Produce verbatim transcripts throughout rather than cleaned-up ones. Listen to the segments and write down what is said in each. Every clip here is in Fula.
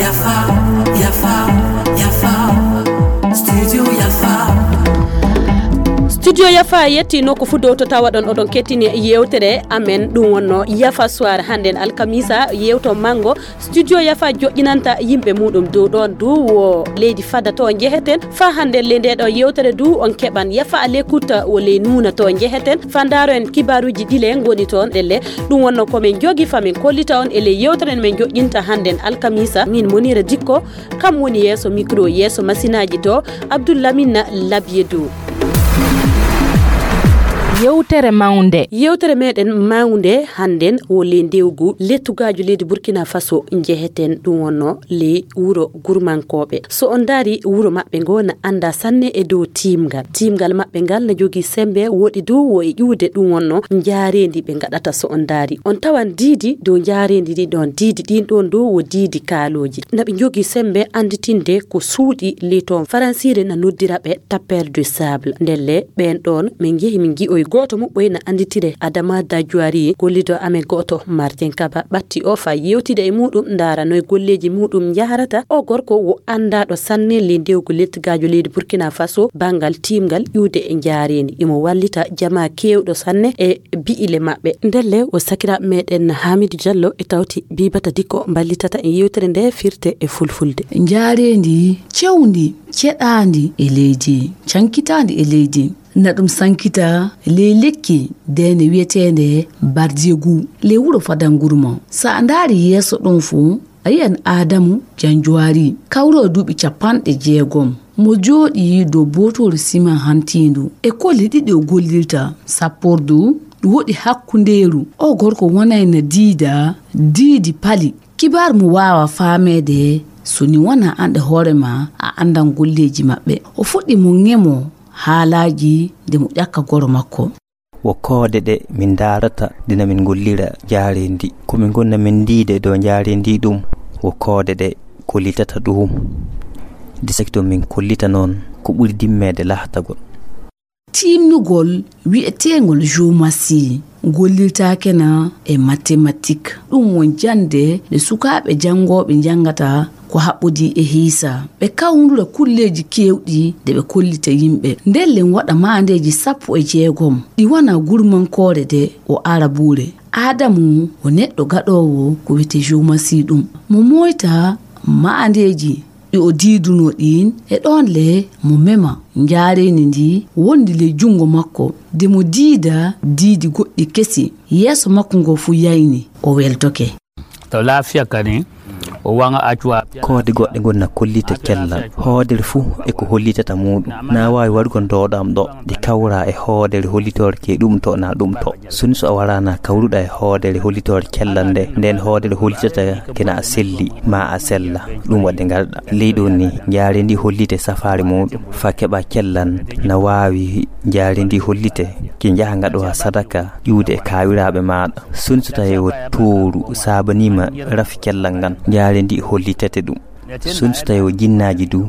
Yafa, Yafa, Yafa, Studio Yafa. Studio Yafa yetti nokku fuu dow to tawaɗon oɗon kettini yewtere amen. Ɗum wonno Yafa Soir hannden alkamisa, yewto manngo. Studio Yafa joƴƴinanta yimɓe muɗum dow ɗoon du wo leydi Fada to njeheten. Fa hannden le nde ɗo yewtere du on keɓan Yafa à l'écoute wo ley Nuuna to njeheten. Fa ndaaro en kibaaruuji ɗi le ngoni toon ɗelle. Ɗum wonno ko min njogi fa min kollita on e ley yewtere men joƴƴinta hannden alkamisa. Min Monira Dikko, kam woni yeeso micro, yeeso masinaaji to Abdoul Lamine Labié Dow. Yewtere mawnde. Yewtere meɗen mawnde hannden wo ley ndewgu lettugaajo leydi Burkina Faso njeheten, ɗum wonno ley wuro Gurmankooɓe. So on ndaari wuro maɓɓe ngo na annda sanne e dow tiimngal. Tiimngal maɓɓe ngal na jogii semmbe, woɗi dow wo e ƴuwde, ɗum wonno njaareendi ɓe ngaɗata. So on ndaari, on tawan diidi dow njaareendi ndi ɗoon. Diidi ɗin ɗoon dow wo diidi kaalooji. Na ɓe njogii semmbe annditinde ko suuɗi ley toon. Faransiire na noddira ɓe tapeur de sable. Ndelle ɓeen ɗoon min njehi min ngi'oyi gooto muɓɓoy na annditire Adama Dajuari, gollido amen gooto Martin Kaba ɓatti o fa yewtida e muɗum, ndaara noy golleeji muɗum njaharata. O gorko wo anndaaɗo sanne ley ndewgu lettugaajo leydi Burkina Faso banngal tiimngal ƴuwde e njaareendi. Imo wallita jamaa keewɗo sanne e bi'ile maɓɓe. Ndelle o sakiraaɓe meɗen Hamidou Diallo e tawti Bibata Dikko mballitata en yewtere nde firte e fulfulde. Njaareendi cewndi, ceɗaandi e leydi, cankitaandi e leydi. Na ɗum sankita ley lekki deene wiyeteende Bardiegu, ley wuro Fadangurma. So a ndaari yeeso ɗum fuu, a yiyan Aadamu Janjuwaari, kawroowo duuɓi capanɗe jeegom. Mo jooɗii dow bootoori siman hantiindu. E kolle ɗiɗi o gollirta, sappordu, woɗi hakkundeeru. O gorko wonayna diida, diidi pali. Kibaar mo waawa faameede, so ni wona an e hoore ma, a anndan golleeji maɓɓe. O fuɗɗi mo ŋemo haalaaji nde mo ƴakka goro makko. Wo koode ɗe min ndaarata dina min ngollira njaareendi. Ko min ngonna min ndiida e dow njaareendi ɗum, wo koode ɗe kollitata ɗum. Disakito min kollita noon ko ɓuri dimmeede lahtagol. Tiimnugol wi'eteengol géomatie gollirtaake na e mathématique. Ɗum won jannde nde sukaaɓe janngooɓe njanngata ko haɓɓodii e hiisa. Ɓe kawndura kulleeji keewɗi nde ɓe kollita yimɓe. Ndelle waɗa maandeeji sappo e jeegom. Ɗi wona gurmankoore nde o arabuure. Aadamu o neɗɗo gaɗoowo ko wiyetee géomatie ɗum. Mo mooyta maandeeji ɗi o diidunoo ɗiin, e ɗoon le mo mema njaareendi ndi wondi ley junngo makko, de mo diida diidi goɗɗi kesi. Yeeso makko ngo fuu yayni, o weltoke. To laafiya kadi, o waŋa accuwa. Koode goɗɗe ngoni na kollita cellal. Hoodere fuu e ko hollitata muuɗum. Na waawi waɗugol dooɗam ɗo, de kawra e hoodere hollitoore ke ɗum to na ɗum to. Sun so a waraana kawruɗa e hoodere hollitoore cellal nde, nden hoodere hollitata kena a selli, ma a sella. Ɗum waɗde ngarɗa. Ley ɗon ni, njaareendi hollite safaare muuɗum. Fa keɓa cellal na waawi njaareendi hollite, ke njaha ngaɗowa sadaka, ƴuwde e kaawiraaɓe maaɗa. Sun so tawi o tooru saabaniima rafi cellal ngal, njaareendi hollitete ɗum. Sun so tawi o jinnaaji du,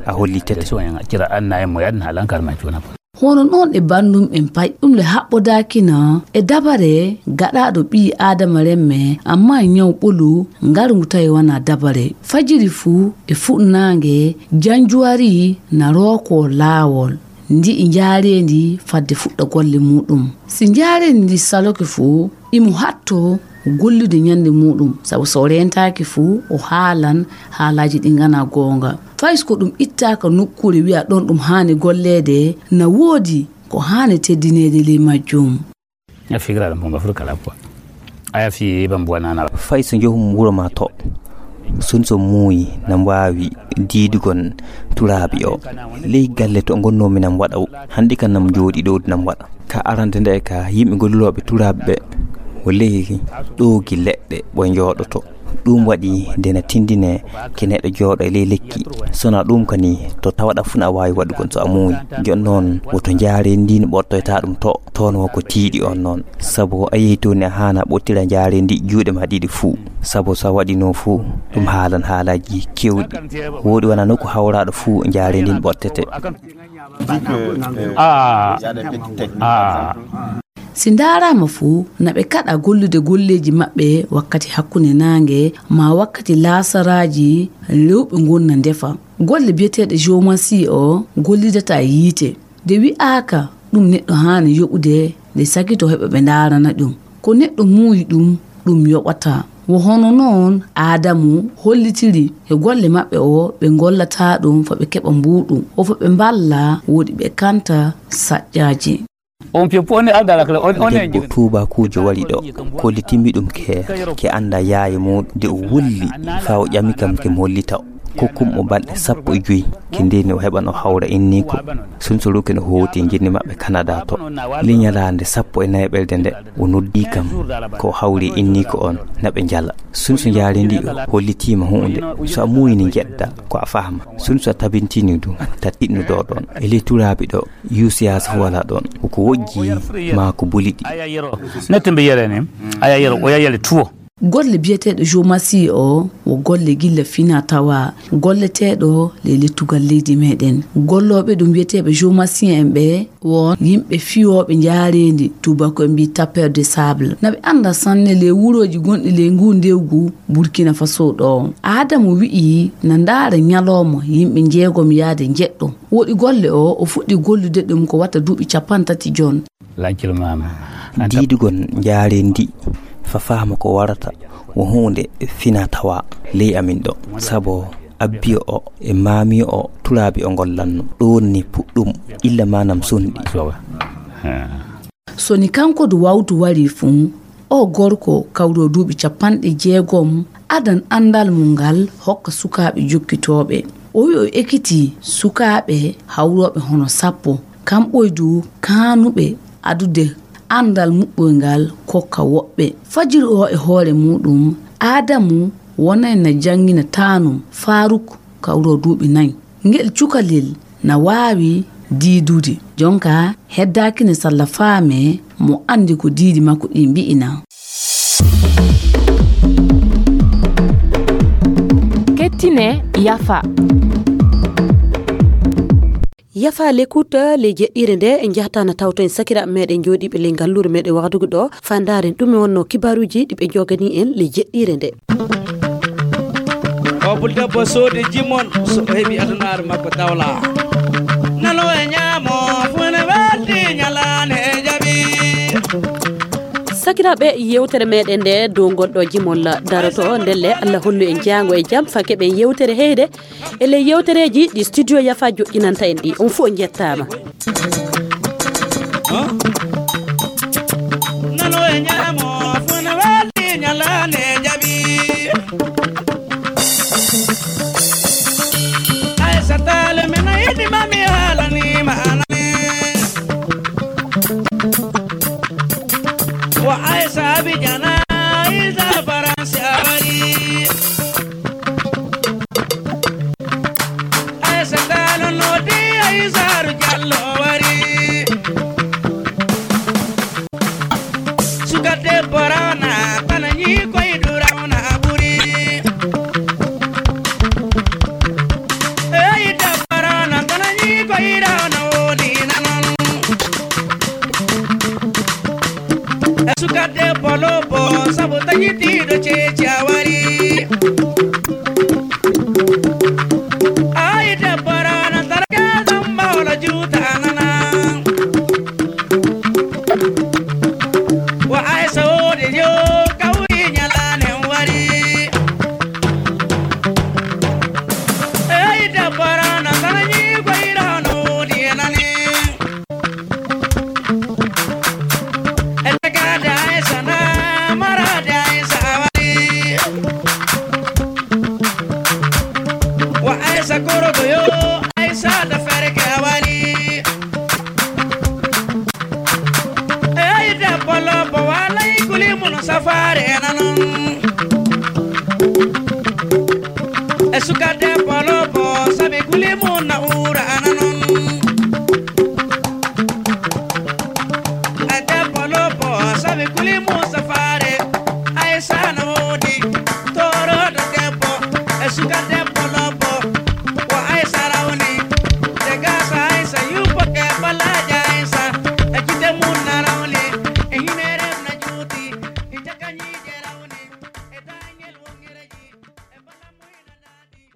a hollitete. Cira anna e mo yadna halan karma cuna. Hono noon e banndum en pay, ɗum le haɓɓodaakina e dabare gaɗaaɗo ɓii Aadama remme, amma ñaw ɓolu ngarngu tawi wona dabare. Fajiri fuu e fuɗnaange, janjuwari na rookoo laawol, ndi'i njaareendi fadde fuɗɗa golle muuɗum. Si njaareendi ndi saloke fuu, imo hatto gollude ñande muuɗum, sabu so o reentaaki fuu, o haalan haalaaji ɗi nganaa goonga. Fay so ko ɗum ittaaka nokkuure wi'a ɗon ɗum haani golleede, na woodi ko haani teddineede ley majjum. A figira ɗum bonga fur kala quoi. Aya fi ban buwa nana. Fay so njahum wuro ma to. Sun so muuyi na mbaawi diidugon turaabi o. Ley galle to ngonnoomi na mbaɗa. Hannde kan na jooɗi ɗo na mbaɗa. Ka arande nde ka yimɓe gollooɓe turaaɓe ɓe, o ley ɗoogi leɗɗe ɓo njooɗoto. Ɗum waɗi nde na tindine ke neɗɗo jooɗo e ley lekki. Sona ɗum kani to tawaɗa fuu na a waawi waɗugol so a muuyi. Jooni noon woto njaareendi ndi ɓortoyta ɗum to, toon wo ko tiiɗi on noon. Sabu a yehi toon ni a haana ɓottira njaareendi juuɗe ma ɗiɗi fuu. Sabu so a waɗi noon fuu, ɗum haalan haalaaji keewɗi. Wooɗi wona nokku hawraaɗo fuu njaareendi ndi ɓortete. Ah, ah. Si ndaaraama fuu, na ɓe kaɗa gollude golleeji maɓɓe wakkati hakkunde naange, maa wakkati laasaraaji, rewɓe ngonna ndefa. Golle biyeteeɗe géomancie o gollidataa e yiite. Nde wi'aaka ɗum neɗɗo haani yoɓude, nde sakito heɓa ɓe ndaarana ɗum. Ko neɗɗo muuyi ɗum, ɗum yoɓataa. Wo hono noon Aadamu hollitiri e golle maɓɓe o, ɓe ngollataa ɗum fo ɓe keɓa mbuuɗu, o fo ɓe mballa woɗi ɓe kanta saƴƴaaji. On piyo pone aldala kala on on Debbo tuubakuujo wari ɗo, kollitimmi ɗum ke, ke annda yaaye muuɗum. Nde o wulli, faa o ƴami kam ke mi hollita o. Kokkum o balɗe sappo e joy, ke ndeni o heɓan o hawra inniiko. Sunsuruke no hooti e jinni maɓɓe Kanada to. Li nyalaande sappo e nayaɓerde nde, o noddi kam, ko o hawri inniiko on, na ɓe njala. Sunsu njaari ndi o hollitiima huunde, so a muuyini njedda, ko a fahma. Sunsu a tabintini ɗum, ta tiɗnu ɗo ɗon. E ley turaabi ɗo, yuusiyaasa fof alaa ɗon. Ko wojji maa ko buli ɗi. Aya yero. Nette mbi yere ni. Aya yero, o yayale tuwo. Golle biyeteeɗo Jomasi o, wo golle gilla fina tawa, golleteeɗo le lettugal leydi meɗen. Gollooɓe ɗum wiyeteeɓe Jomasi en ɓe, wo yimɓe fiyooɓe njaareendi, tubaako en mbi tapeur de sable. Na ɓe annda sanne le wurooji gonɗi le ngu ndewgu Burkina Faso ɗo. Aadamu wi'i na ndaara ñalooma yimɓe njeegom yaade njeɗɗo. Woɗi golle o, o fuɗɗi gollude ɗum ko wata duuɓi capanɗe tati jon. Lancel maama. Diidugon njaareendi, fa fahma ko warata, wo huunde fina tawa ley amin ɗo. Sabo abbiyo o e maamiyo o turaabi o ngollanno. Ɗoon ni puɗɗum illa maanam sunɗi. So ni kanko du wawtu wari fuu, o gorko kawro duuɓi capanɗe jeegom, adan anndal mum ngal hokka sukaaɓe jokkitooɓe. O wi'i o ekiti sukaaɓe hawrooɓe hono sappo, kamɓoy du kaanuɓe adude anndal muɓɓoy ngal kokka woɓɓe. Fajiri o e hoore muuɗum, Aadamu wonay na janngina taanum Faaruk kawro duuɓi nay. Ngel cukalel na waawi diidude. Jonka heddaaki ne salla faame mo anndi ko diidi makko ɗi mbi'ina. Kettine yafa. Yafa l'écoute, le jeɗɗire nde en njahata na tawto en sakiraaɓe meɗen jooɗiiɓe ley ngalluure meɗen wahdugo ɗo, faa ndaaren ɗume wonno kibaaruuji ɗi ɓe njoganii en le jeɗɗire nde. O pulta bo soodi jimon, so o heɓi adunaaru makko dawla. Nano e ñaamo, fuu ne welti ñalaande e jaɓi. Sakiraaɓe, yewtere meɗen nde dow ngol ɗo jimol daroto, ndelle Allah hollu en jaango e jam, faa keɓen yewtere heyde. E ley yewtereeji ɗi Studio Yafa joƴƴinanta en ɗi, on fof njettaama. Nano e ñaamo, fuu ne welti ñalaande jaɓi. Aysata Taal, min a yiɗi ma mi haalani ma anani. Wa Aysa Abidjan, Aysa Faransi a wari. Aysa Taal no di Aysa Jallo wari. Suka debbo rawna, bana ñii koy du rawna ɓuri. Ey debbo rawna, bana ñii koy rawna woni nanon. E suka debbo lobbo, sabu taƴitiiɗo ceeci a wari. Ay debbo rawna, targa damba wala juuta nana. Wa Aysa woodi yo kawri ñalaande wari. Ey debbo rawna, bana ñii koy rawna woodi e nani. E tagaade Aysa na maraade Aysa a wari. Wa Aysa korogo yo, Aysa da ferke a wari. Ey debbo lobbo walay kuli mun safaare nanon. E suka debbo lobbo sabi kuli mun na uura nanon. E debbo lobbo sabi kuli mun safaare